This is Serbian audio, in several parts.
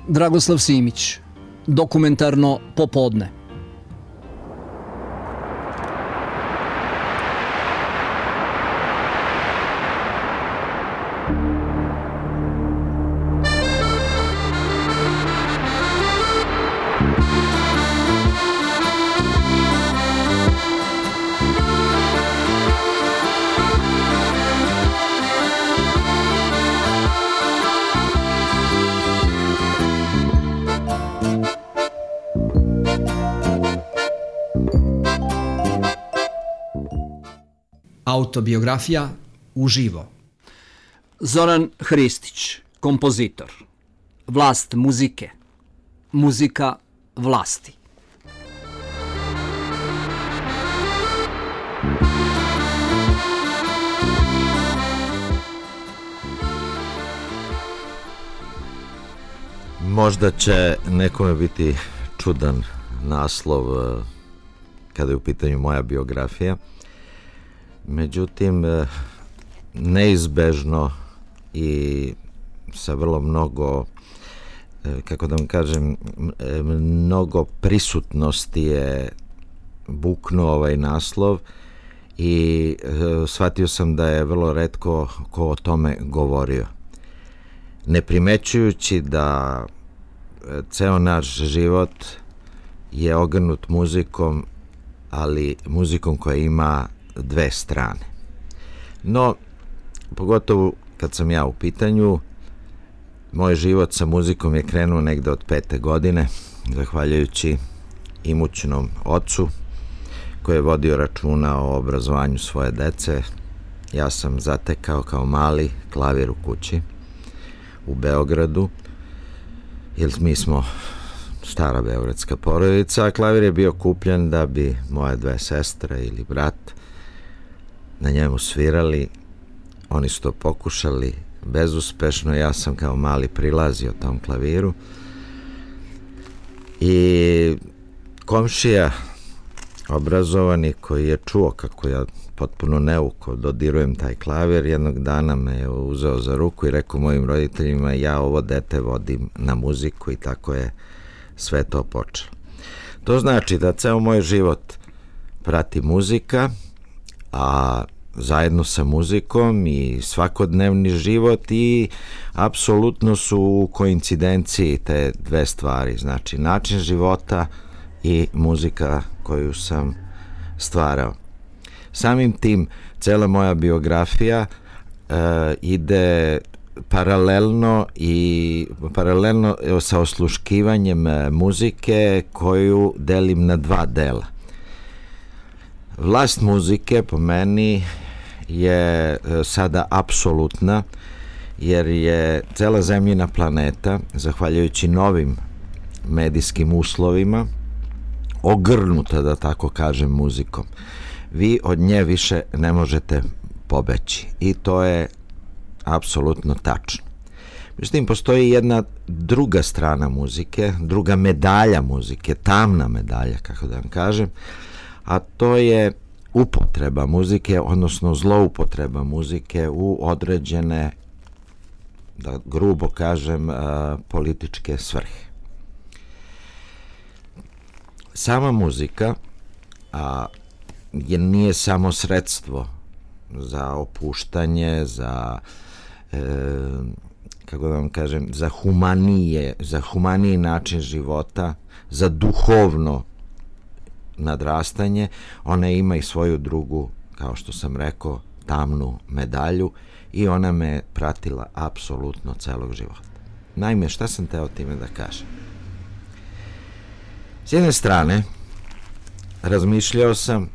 Dragoslav Simić, Dokumentarno popodne. Autobiografija uživo. Zoran Hristić, kompozitor. Vlast muzike. Muzika vlasti. Možda će nekome biti čudan naslov kada je u pitanju moja biografija. Međutim, neizbežno i sa vrlo mnogo, kako da vam kažem, mnogo prisutnosti je buknuo ovaj naslov i shvatio sam da je vrlo retko ko o tome govorio. Ne primećujući da ceo naš život je ogrnut muzikom, ali muzikom koja ima dve strane. No, pogotovo kad sam ja u pitanju, moj život sa muzikom je krenuo negde od 5. godine, zahvaljujući imućnom ocu koji je vodio računa o obrazovanju svoje dece. Ja sam zatekao kao mali klavir u kući u Beogradu, jer mi smo stara beogradska porodica, a klavir je bio kupljen da bi moje dve sestre ili brat na njemu svirali. Oni su to pokušali bezuspešno, ja sam kao mali prilazio tom klaviru i komšija obrazovani koji je čuo kako ja potpuno neuko dodirujem taj klavir, jednog dana me je uzeo za ruku i rekao mojim roditeljima: ja ovo dete vodim na muziku, i tako je sve to počelo. To znači da ceo moj život prati muzika, a zajedno sa muzikom i svakodnevni život, i apsolutno su u koincidenciji te dve stvari, znači način života i muzika koju sam stvarao. Samim tim cela moja biografija ide paralelno sa osluškivanjem muzike koju delim na dva dela. Vlast muzike po meni je sada apsolutna, jer je cela zemljina planeta, zahvaljujući novim medijskim uslovima, ogrnuta, da tako kažem, muzikom. Vi od nje više ne možete pobeći, i to je apsolutno tačno. Međutim, postoji jedna druga strana muzike, druga medalja muzike, tamna medalja, kako da vam kažem, a to je upotreba muzike, odnosno zloupotreba muzike u određene, da grubo kažem, političke svrhe. Sama muzika nije samo sredstvo za opuštanje, za kako da vam kažem, za humaniji način života, za duhovno nadrastanje. Ona ima i svoju drugu, kao što sam rekao, tamnu medalju, i ona me pratila apsolutno celog života. Naime, šta sam teo time da kažem? S jedne strane, razmišljao sam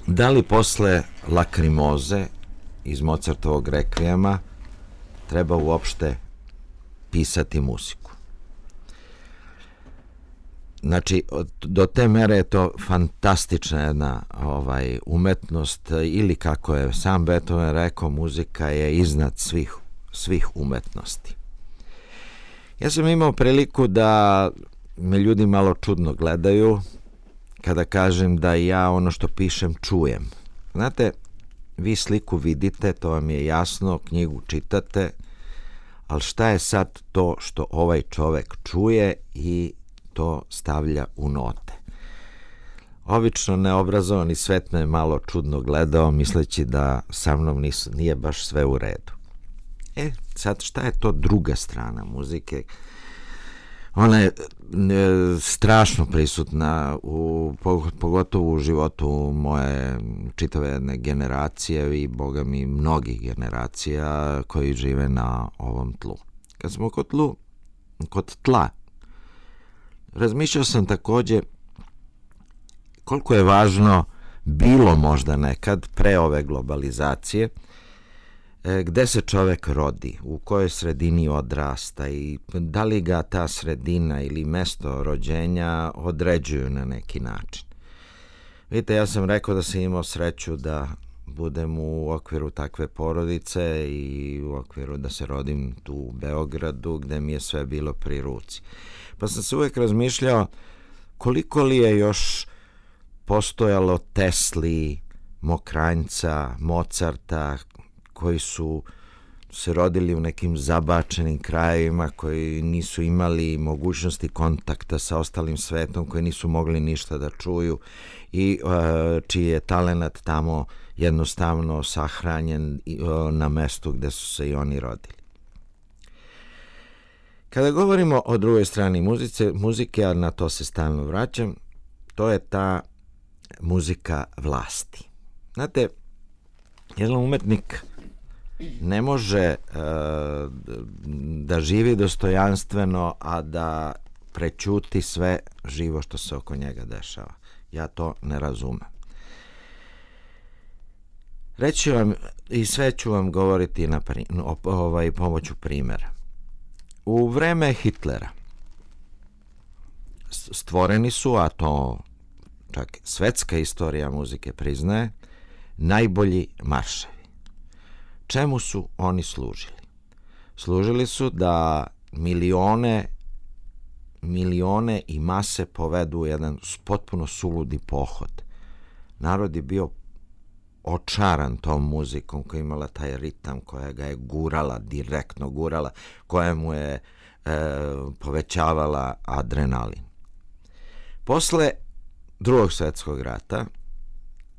da li posle Lakrimoze iz Mozartovog rekvijema treba uopšte pisati muziku. Znači, do te mere je to fantastična jedna umetnost, ili kako je sam Beethoven rekao, muzika je iznad svih umetnosti. Ja sam imao priliku da me ljudi malo čudno gledaju kada kažem da ja ono što pišem čujem. Znate, vi sliku vidite, to vam je jasno, knjigu čitate, ali šta je sad to što ovaj čovek čuje i to stavlja u note. Obično neobrazovani svet me malo čudno gledao, misleći da sa mnom nije baš sve u redu. Sad šta je to druga strana muzike? Ona je strašno prisutna, pogotovo u životu moje čitave jedne generacije i boga mi mnogih generacija koji žive na ovom tlu. Kad smo kod tla, razmišljao sam takođe koliko je važno bilo možda nekad pre ove globalizacije gde se čovek rodi, u kojoj sredini odrasta i da li ga ta sredina ili mesto rođenja određuju na neki način. Vidite, ja sam rekao da sam imao sreću da budem u okviru takve porodice i u okviru da se rodim tu u Beogradu gde mi je sve bilo pri ruci. Pa sam se uvek razmišljao koliko li je još postojalo Tesli, Mokranjca, Mozarta, koji su se rodili u nekim zabačenim krajevima, koji nisu imali mogućnosti kontakta sa ostalim svetom, koji nisu mogli ništa da čuju i čiji je talenat tamo jednostavno sahranjen na mestu gde su se i oni rodili. Kada govorimo o drugoj strani muzike, a na to se stalno vraćam, to je ta muzika vlasti. Znate, jedan umetnik ne može da živi dostojanstveno, a da prećuti sve živo što se oko njega dešava. Ja to ne razumem. Reći vam i sve ću vam govoriti pomoću primjera. U vreme Hitlera stvoreni su, a to čak svetska istorija muzike priznaje, najbolji marševi. Čemu su oni služili? Služili su da milione i mase povedu jedan potpuno suludi pohod. Narod je bio očaran tom muzikom koja je imala taj ritam, koja ga je gurala, direktno gurala, koja mu je povećavala adrenalin. Posle Drugog svjetskog rata,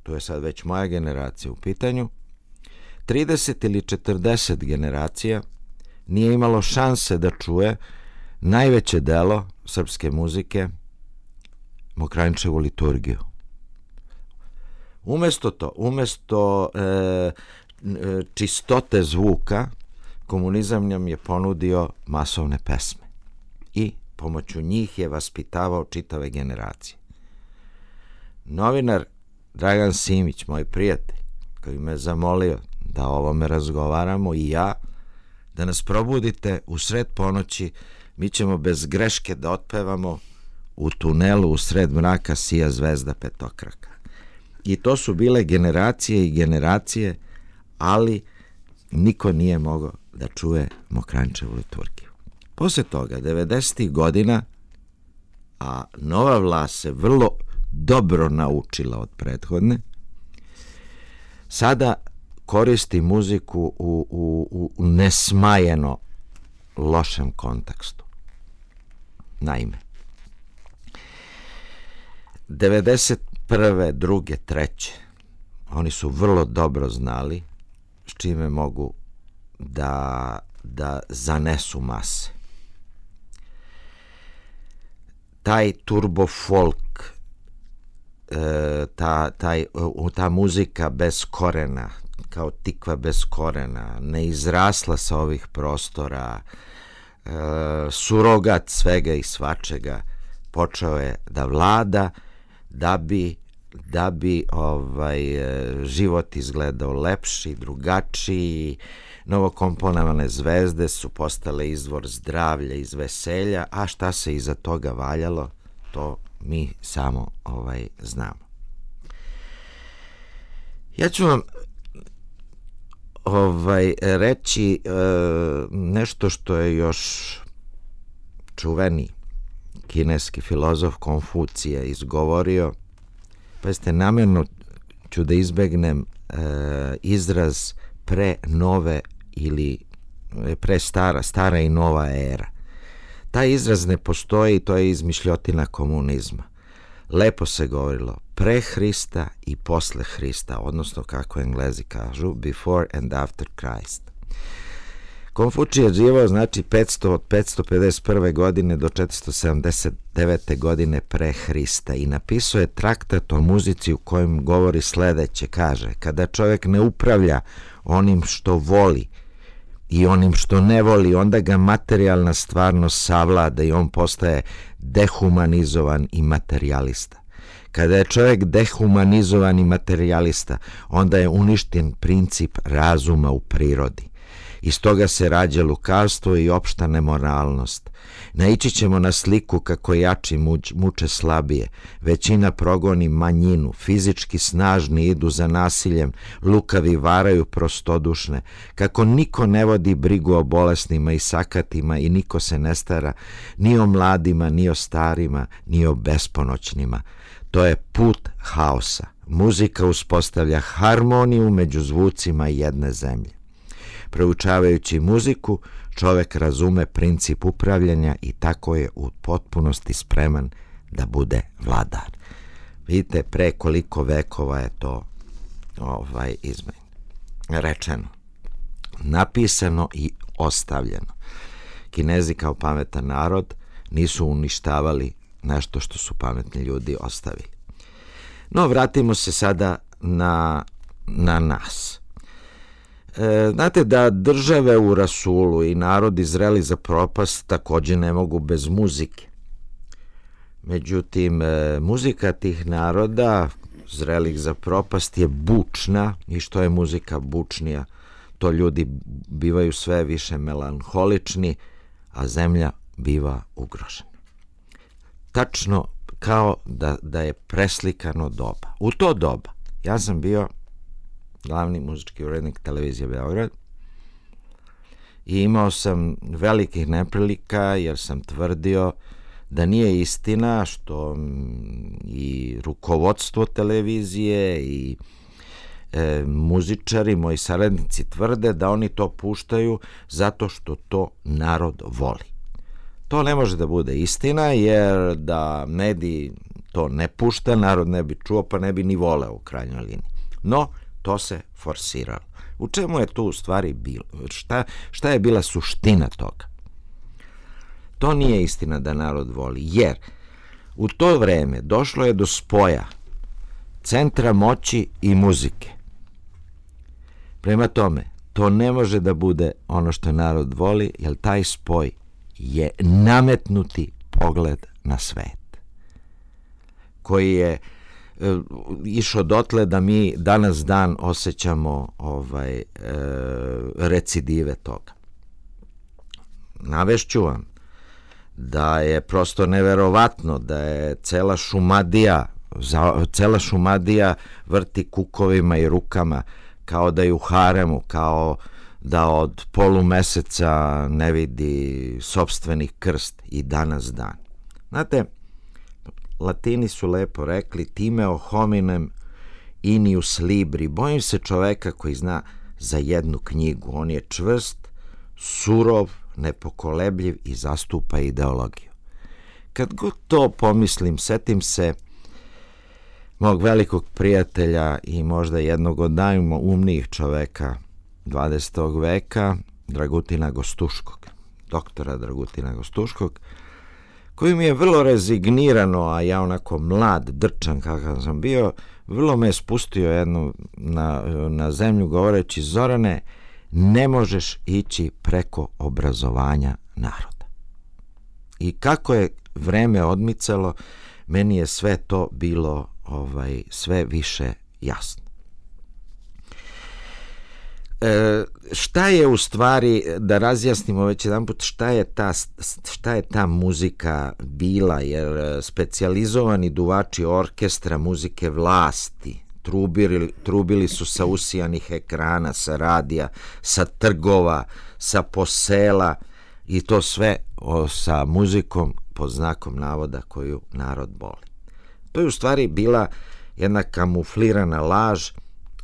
tu je sad već moja generacija u pitanju, 30 ili 40 generacija nije imalo šanse da čuje najveće delo srpske muzike, Mokranjčevu liturgiju. Umesto čistote zvuka, komunizam nam je ponudio masovne pesme i pomoću njih je vaspitavao čitave generacije. Novinar Dragan Simić, moj prijatelj, koji me zamolio da o ovome razgovaramo i ja, da nas probudite u sred ponoći, mi ćemo bez greške da otpevamo U tunelu u sred mraka sija zvezda petokraka. I to su bile generacije i generacije, ali niko nije mogao da čuje Mokranjčevu liturgiju. Posle toga, 90. godina, a nova vlast se vrlo dobro naučila od prethodne, sada koristi muziku u nesmajeno lošem kontekstu. Naime, 91. 2. 3. oni su vrlo dobro znali s čime mogu da zanesu mase. Taj turbo folk, ta muzika bez korena, kao tikva bez korena, ne izrasla sa ovih prostora, surogat svega i svačega, počeo je da vlada da bi život izgledao lepši, drugačiji. Novokomponovane zvezde su postale izvor zdravlja i veselja, a šta se iza toga valjalo, to mi samo znamo. Ja ću vam reći nešto što je još čuveni kineski filozof Konfucije izgovorio. Pa jeste, namjerno ću da izbegnem izraz pre nove ili stara i nova era. Taj izraz ne postoji, to je izmišljotina komunizma. Lepo se govorilo pre Hrista i posle Hrista, odnosno kako Englezi kažu, before and after Christ. Konfučije je živao znači 551. godine do 479. godine pre Hrista i napisao je traktat o muzici u kojem govori sledeće, kaže: kada čovjek ne upravlja onim što voli i onim što ne voli, onda ga materijalna stvarnost savlada i on postaje dehumanizovan i materijalista. Kada je čovjek dehumanizovan i materijalista, onda je uništen princip razuma u prirodi. Iz toga se rađa lukavstvo i opšta nemoralnost. Naići ćemo na sliku kako jači muče slabije, većina progoni manjinu, fizički snažni idu za nasiljem, lukavi varaju prostodušne, kako niko ne vodi brigu o bolesnima i sakatima i niko se ne stara ni o mladima, ni o starima, ni o besponoćnima. To je put haosa. Muzika uspostavlja harmoniju među zvucima jedne zemlje. Proučavajući muziku, čovjek razume princip upravljanja i tako je u potpunosti spreman da bude vladar. Vidite pre koliko vekova je to rečeno, napisano i ostavljeno. Kinezi kao pametan narod nisu uništavali nešto što su pametni ljudi ostavili. No, vratimo se sada na nas. Znate da države u rasulu i narodi zreli za propast također ne mogu bez muzike. Međutim, muzika tih naroda zrelih za propast je bučna i što je muzika bučnija, to ljudi bivaju sve više melanholični, a zemlja biva ugrožena. Tačno kao da je preslikano doba. U to doba ja sam bio glavni muzički urednik televizije Beograd i imao sam velikih neprilika jer sam tvrdio da nije istina što i rukovodstvo televizije i muzičari, moji saradnici tvrde da oni to puštaju zato što to narod voli. To ne može da bude istina jer da mediji to ne pušta, narod ne bi čuo pa ne bi ni voleo u krajnjoj liniji. No, to se forsiralo. U čemu je tu u stvari bilo? Šta je bila suština toga? To nije istina da narod voli, jer u to vreme došlo je do spoja centra moći i muzike. Prema tome, to ne može da bude ono što narod voli, jer taj spoj je nametnuti pogled na svet, koji je išao dotle da mi danas dan osjećamo recidive toga. Navešću vam da je prosto neverovatno da je cela Šumadija vrti kukovima i rukama kao da je u haremu, kao da od polumeseca ne vidi sopstveni krst i danas dan. Znate, Latini su lepo rekli timeo hominem inius libri. Bojim se čoveka koji zna za jednu knjigu. On je čvrst, surov, nepokolebljiv i zastupa ideologiju. Kad god to pomislim, setim se mog velikog prijatelja i možda jednog od najumnijih čoveka 20. veka, Dragutina Gostuškog, doktora Dragutina Gostuškog, koji mi je vrlo rezignirano, a ja onako mlad, drčan kakav sam bio, vrlo me je spustio jednu na zemlju govoreći: Zorane, ne možeš ići preko obrazovanja naroda. I kako je vreme odmicalo, meni je sve to bilo sve više jasno. Šta je u stvari, da razjasnimo već jedan put, šta je ta muzika bila, jer specijalizovani duvači orkestra muzike vlasti trubili su sa usijanih ekrana, sa radija, sa trgova, sa posela i to sve sa muzikom pod znakom navoda koju narod voli. To je u stvari bila jedna kamuflirana laž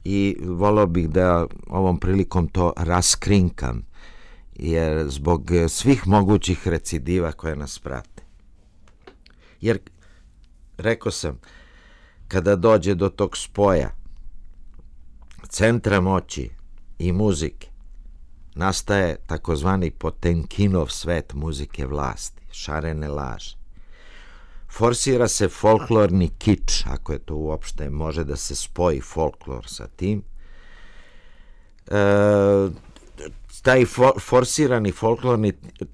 i volio bih da ovom prilikom to raskrinkam, jer zbog svih mogućih recidiva koje nas prate. Jer, rekao sam, kada dođe do tog spoja centra moći i muzike, nastaje takozvani Potemkinov svet muzike vlasti, šarene laže. Forsira se folklorni kič, ako je to uopšte može da se spoji folklor sa tim. Taj forsirani folklorni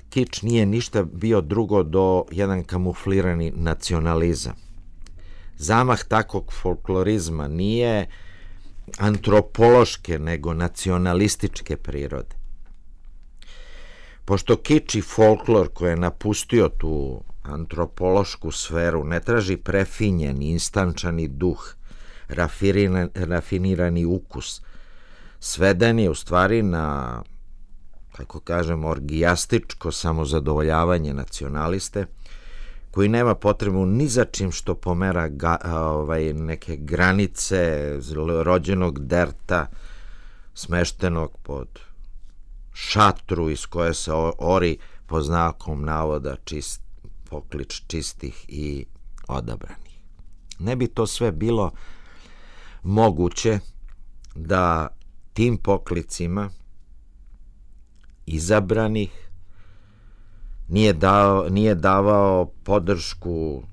kič nije ništa bio drugo do jedan kamuflirani nacionalizam. Zamah takvog folklorizma nije antropološke, nego nacionalističke prirode. Pošto kič i folklor koji je napustio tu antropološku sferu ne traži prefinjen, instančani duh, rafinirani ukus, sveden je u stvari na, kako kažem, orgijastičko samozadovoljavanje nacionaliste, koji nema potrebu ni za čim što pomera neke granice rođenog derta smeštenog pod šatru iz koje se ori po znakom navoda poklič čistih i odabranih. Ne bi to sve bilo moguće da tim poklicima izabranih nije davao podršku,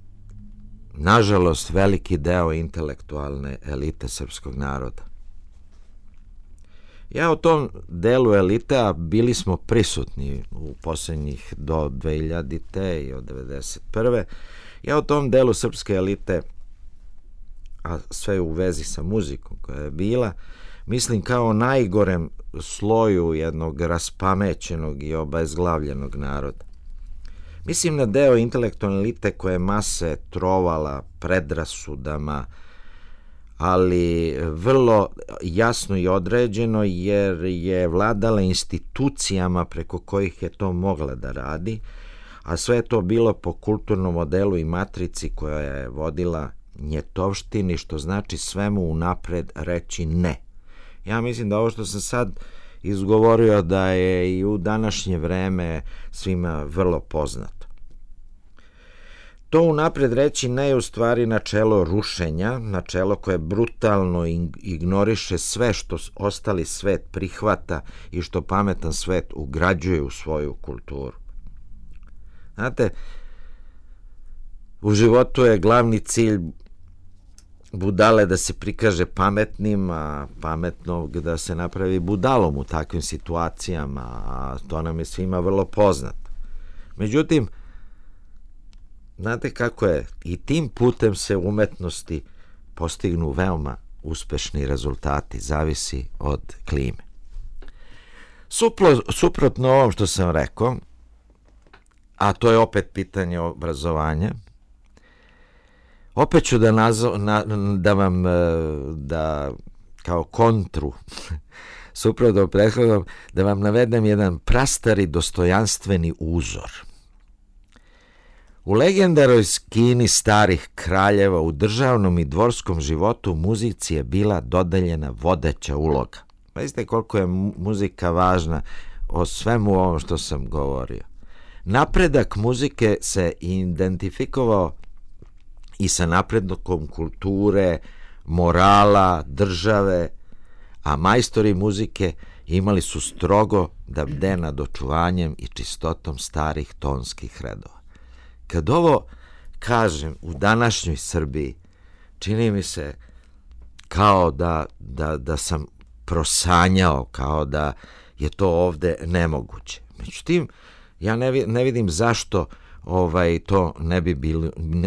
nažalost, veliki deo intelektualne elite srpskog naroda. Ja u tom delu elite, a bili smo prisutni u posljednjih do 2000. i od 1991. Ja u tom delu srpske elite, a sve u vezi sa muzikom koja je bila, mislim kao najgorem sloju jednog raspamećenog i obezglavljenog naroda. Mislim na deo intelektualne elite koje mase trovala predrasudama, ali vrlo jasno i određeno, jer je vladala institucijama preko kojih je to mogla da radi, a sve je to bilo po kulturnom modelu i matrici koja je vodila njetovštini, što znači svemu unapred reći ne. Ja mislim da ovo što sam sad izgovorio da je i u današnje vreme svima vrlo poznato. To unapred reći ne je u stvari načelo rušenja, načelo koje brutalno ignoriše sve što ostali svet prihvata i što pametan svet ugrađuje u svoju kulturu. Znate, u životu je glavni cilj budale da se prikaže pametnim, a pametnog da se napravi budalom u takvim situacijama, a to nam je svima vrlo poznato. Međutim, znate kako je, i tim putem se u umetnosti postignu veoma uspešni rezultati, zavisi od klime. Suprotno ovom što sam rekao, a to je opet pitanje obrazovanja, opet ću da vam kao kontru suprotno prethodnom da vam navedem jedan prastari dostojanstveni uzor. U legendarnoj skini starih kraljeva u državnom i dvorskom životu muzici je bila dodeljena vodeća uloga. Vidite koliko je muzika važna o svemu ovom što sam govorio. Napredak muzike se identifikovao i sa napredkom kulture, morala, države, a majstori muzike imali su strogo da bde nad očuvanjem i čistotom starih tonskih redova. Kad ovo kažem u današnjoj Srbiji, čini mi se kao da sam prosanjao, kao da je to ovde nemoguće. Međutim, ja ne vidim zašto to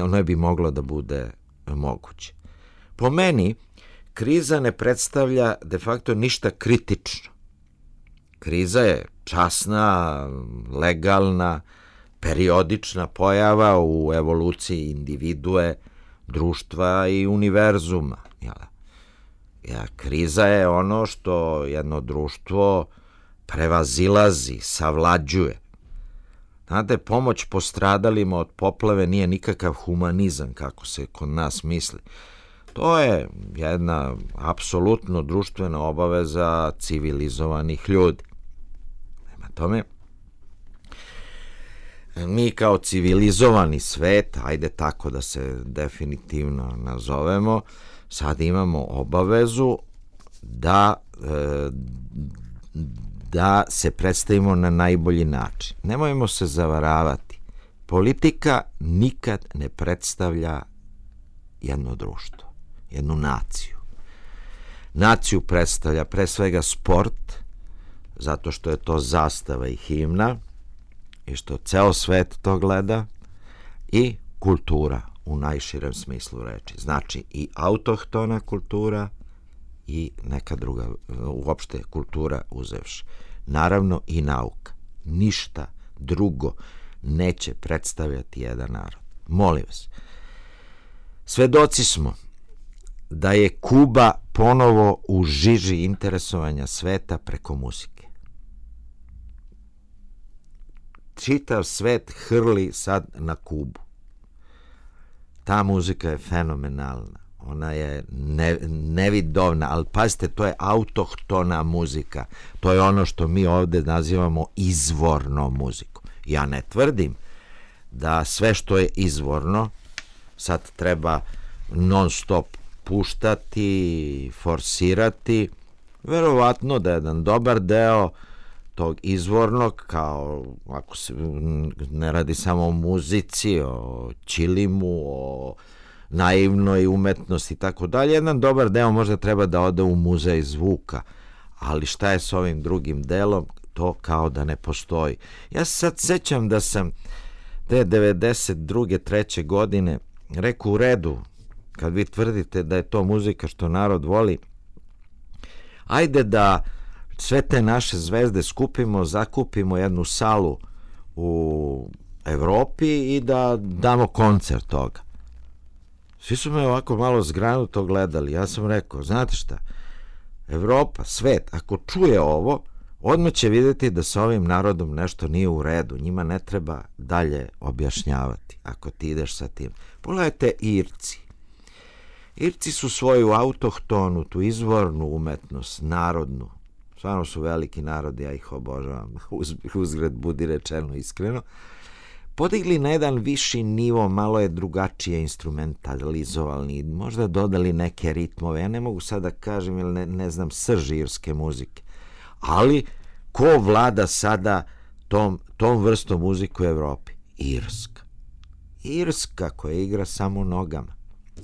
ne bi moglo da bude moguće. Po meni, kriza ne predstavlja de facto ništa kritično. Kriza je časna, legalna, periodična pojava u evoluciji individue, društva i univerzuma. Kriza je ono što jedno društvo prevazilazi, savlađuje. Znate, pomoć postradalima od poplave nije nikakav humanizam, kako se kod nas misli. To je jedna apsolutno društvena obaveza civilizovanih ljudi. Prema tome, mi kao civilizovani svet, ajde tako da se definitivno nazovemo, sad imamo obavezu da se predstavimo na najbolji način. Nemojmo se zavaravati. Politika nikad ne predstavlja jedno društvo, jednu naciju. Naciju predstavlja pre svega sport, zato što je to zastava i himna i što ceo svet to gleda, i kultura u najširem smislu reči. Znači i autohtona kultura i neka druga, uopšte kultura uzevši. Naravno i nauka. Ništa drugo neće predstavljati jedan narod. Molim vas. Svedoci smo da je Kuba ponovo u žiži interesovanja sveta preko muzike. Čitav svet hrli sad na Kubu. Ta muzika je fenomenalna. Ona je nevidovna, ali pazite, to je autohtona muzika. To je ono što mi ovde nazivamo izvornom muzikom. Ja ne tvrdim da sve što je izvorno sad treba non stop puštati, forsirati. Verovatno da je jedan dobar deo tog izvornog, kao ako se ne radi samo o muzici, o ćilimu, o naivnoj umetnosti i tako dalje, jedan dobar deo možda treba da ode u muzej zvuka, ali šta je s ovim drugim delom, to kao da ne postoji. Ja se sad sećam da sam te 92. 3. godine rekao, u redu, kad vi tvrdite da je to muzika što narod voli, ajde da sve te naše zvezde skupimo, zakupimo jednu salu u Evropi i da damo koncert toga. Svi su me ovako malo zgranuto gledali. Ja sam rekao, znate šta, Evropa, svet, ako čuje ovo, odmah će vidjeti da sa ovim narodom nešto nije u redu. Njima ne treba dalje objašnjavati ako ti ideš sa tim. Pogledajte Irci. Irci su svoju autohtonu, tu izvornu umetnost, narodnu, stvarno su veliki narodi, ja ih obožavam, uzgred budi rečeno iskreno, podigli na jedan viši nivo, malo je drugačije instrumentalizovali, možda dodali neke ritmove, ja ne mogu sad da kažem, jer ne znam srž irske muzike, ali ko vlada sada tom vrstom muzike u Evropi? Irska. Irska koja igra samo nogama,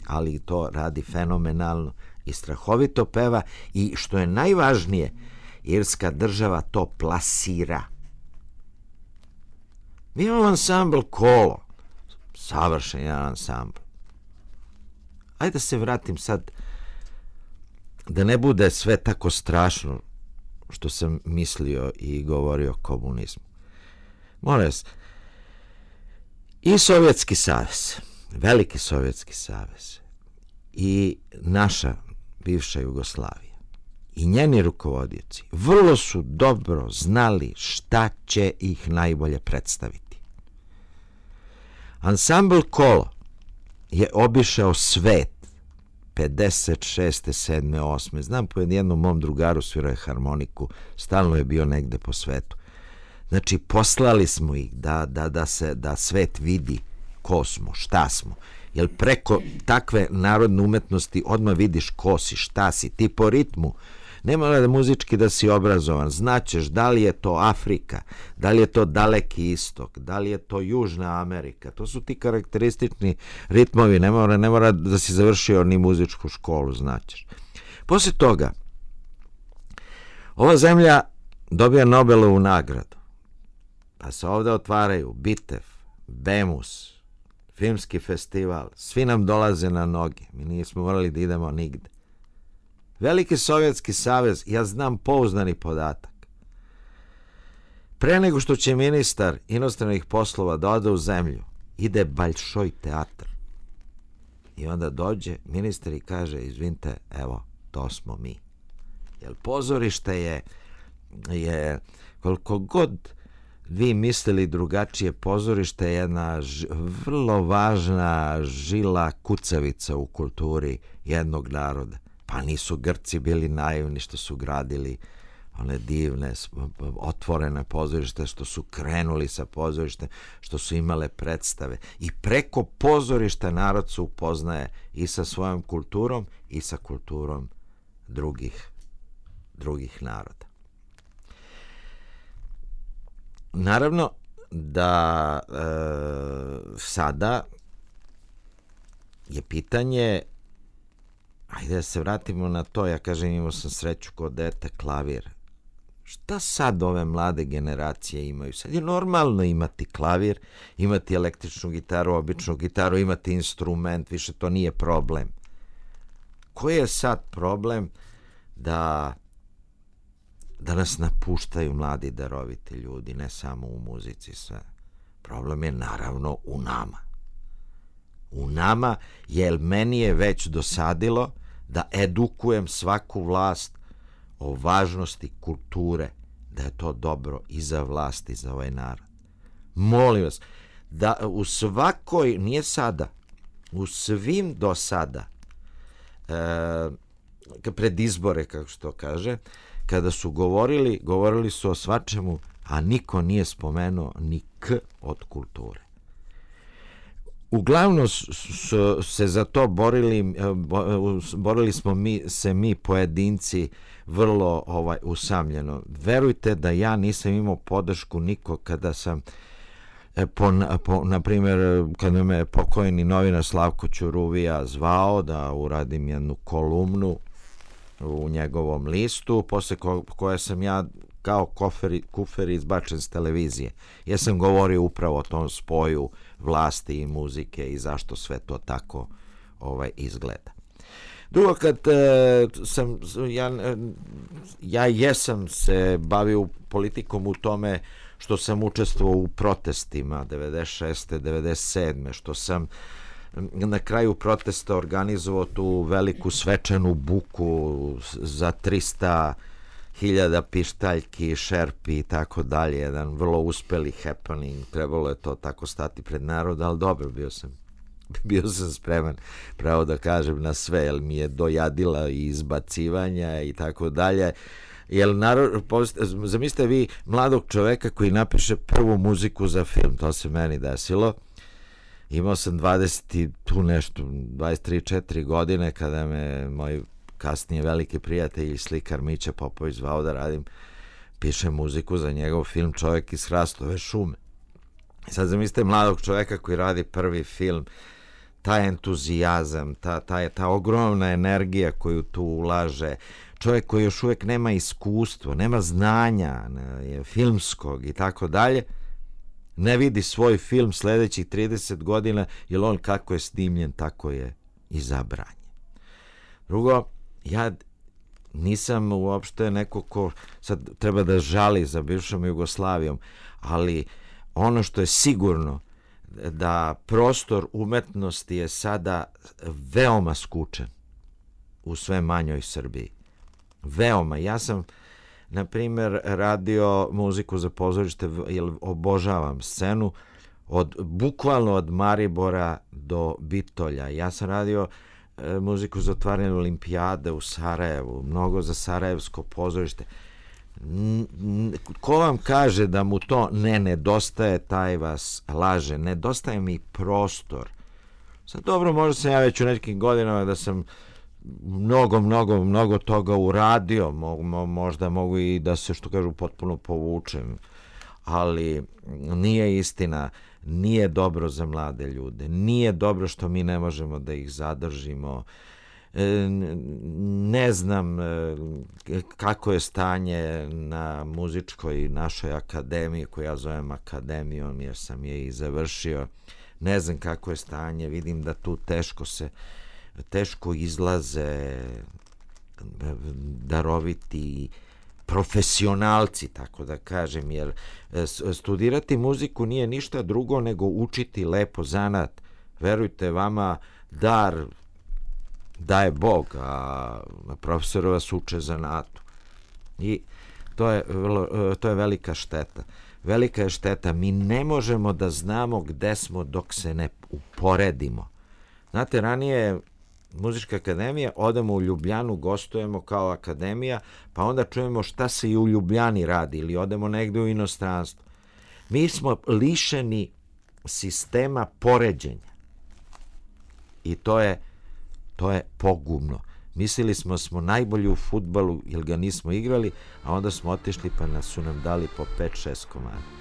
ali to radi fenomenalno i strahovito peva, i što je najvažnije, irska država to plasira. Mi imamo ansambl Kolo, savršen jedan ansambl. Ajde da se vratim sad, da ne bude sve tako strašno što sam mislio i govorio o komunizmu. Molim vas, i Sovjetski savez, veliki Sovjetski savez, i naša bivša Jugoslavija, i njeni rukovodioci vrlo su dobro znali šta će ih najbolje predstaviti. Ansambl Kolo je obišao svet 56. 7. 8. Znam, po jednom mom drugaru svirao je harmoniku, stalno je bio negde po svetu. Znači, poslali smo ih da svet vidi ko smo, šta smo. Jer preko takve narodne umetnosti odmah vidiš ko si, šta si, ti po ritmu. Ne mora da muzički da si obrazovan, znaćeš da li je to Afrika, da li je to Daleki istok, da li je to Južna Amerika. To su ti karakteristični ritmovi, ne mora da si završio ni muzičku školu, znaćeš. Poslije toga, ova zemlja dobija Nobelovu nagradu, pa se ovde otvaraju Bitev, Bemus, filmski festival, svi nam dolaze na noge, mi nismo morali da idemo nigde. Veliki Sovjetski savez, ja znam pouzdani podatak. Pre nego što će ministar inostranih poslova da ode u zemlju, ide Balšoj teatr. I onda dođe ministar i kaže, izvinite, evo, to smo mi. Jer pozorište je koliko god vi mislili drugačije, pozorište je jedna vrlo važna žila kucavica u kulturi jednog naroda. Pa nisu Grci bili naivni što su gradili one divne, otvorene pozorište, što su krenuli sa pozorištem, što su imale predstave. I preko pozorišta narod se upoznaje i sa svojom kulturom i sa kulturom drugih naroda. Naravno da sada je pitanje, ajde da se vratimo na to, ja kažem imao sam sreću kod dete klavir. Šta sad ove mlade generacije imaju? Sad je normalno imati klavir, imati električnu gitaru, običnu gitaru, imati instrument, više to nije problem. Koji je sad problem da nas napuštaju mladi daroviti ljudi, ne samo u muzici sve. Problem je naravno u nama. U nama, jer meni je već dosadilo da edukujem svaku vlast o važnosti kulture, da je to dobro i za vlast i za ovaj narod. Molim vas, da u svakoj, nije sada, u svim do sada, pred izbore, kako se to kaže, kada su govorili su o svačemu, a niko nije spomenuo ni K od kulture. Uglavnom se za to borili smo mi pojedinci vrlo usamljeno. Verujte da ja nisam imao podršku nikog kada sam na primjer kada me pokojni novinar Slavko Ćuruvija zvao da uradim jednu kolumnu u njegovom listu, posle koje sam ja kao kufer izbačen s televizije. Ja sam govorio upravo o tom spoju vlasti i muzike i zašto sve to tako izgleda. Drugo, kad ja jesam se bavio politikom u tome što sam učestvovao u protestima 96. 97. što sam na kraju protesta organizovao tu veliku svečanu buku za 300.000 pištaljki, šerpi i tako dalje, jedan vrlo uspeli happening, trebalo je to tako stati pred narod, ali dobro, bio sam spreman, pravo da kažem, na sve, jer mi je dojadila i izbacivanja i tako dalje. Jer zamislite vi mladog čoveka koji napiše prvu muziku za film, to se meni desilo. Imao sam 23-4 godine kada me moj kasnije veliki prijatelj i slikar Mića Popović zvao da pišem muziku za njegov film Čovjek iz Hrastove šume. I sad zamislite mladog čoveka koji radi prvi film, taj entuzijazam, ta ogromna energija koju tu ulaže, čovjek koji još uvijek nema iskustvo, nema znanja filmskog i tako dalje, ne vidi svoj film sljedećih 30 godina, jer on kako je snimljen, tako je i zabranjen. Drugo, ja nisam uopšte neko ko sad treba da žali za bivšom Jugoslavijom, ali ono što je sigurno da prostor umetnosti je sada veoma skučen u sve manjoj Srbiji. Veoma. Ja sam, na primjer, radio muziku za pozorište, jer obožavam scenu, bukvalno od Maribora do Bitolja. Ja sam radio muziku za otvaranje olimpijade u Sarajevu, mnogo za sarajevsko pozorište. Ko vam kaže da mu to ne nedostaje, taj vas laže. Nedostaje mi prostor. Sad dobro, možda sam ja već u nekim godinama da sam mnogo toga uradio, možda mogu i da se, što kažu, potpuno povučem, ali nije istina, nije dobro za mlade ljude, nije dobro što mi ne možemo da ih zadržimo. Ne znam kako je stanje na muzičkoj našoj akademiji, koju ja zovem akademijom jer sam je i završio. Ne znam kako je stanje, vidim da tu teško izlaze daroviti profesionalci, tako da kažem, jer studirati muziku nije ništa drugo nego učiti lepo zanat. Verujte, vama dar daje Bog, a profesori vas uče zanatu. I to je velika šteta. Velika je šteta. Mi ne možemo da znamo gde smo dok se ne uporedimo. Znate, ranije Muzička akademija, odemo u Ljubljanu, gostujemo kao akademija, pa onda čujemo šta se i u Ljubljani radi ili odemo negde u inostranstvo. Mi smo lišeni sistema poređenja i to je pogubno. Mislili smo najbolji u fudbalu jer ga nismo igrali, a onda smo otišli pa su nam dali po 5-6 komada.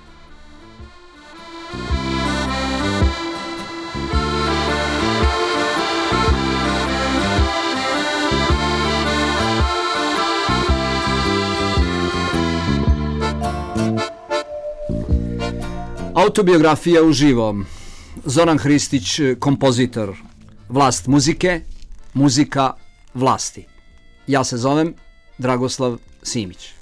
Autobiografija uživo. Zoran Hristić, kompozitor. Vlast muzike, muzika vlasti. Ja se zovem Dragoslav Simić.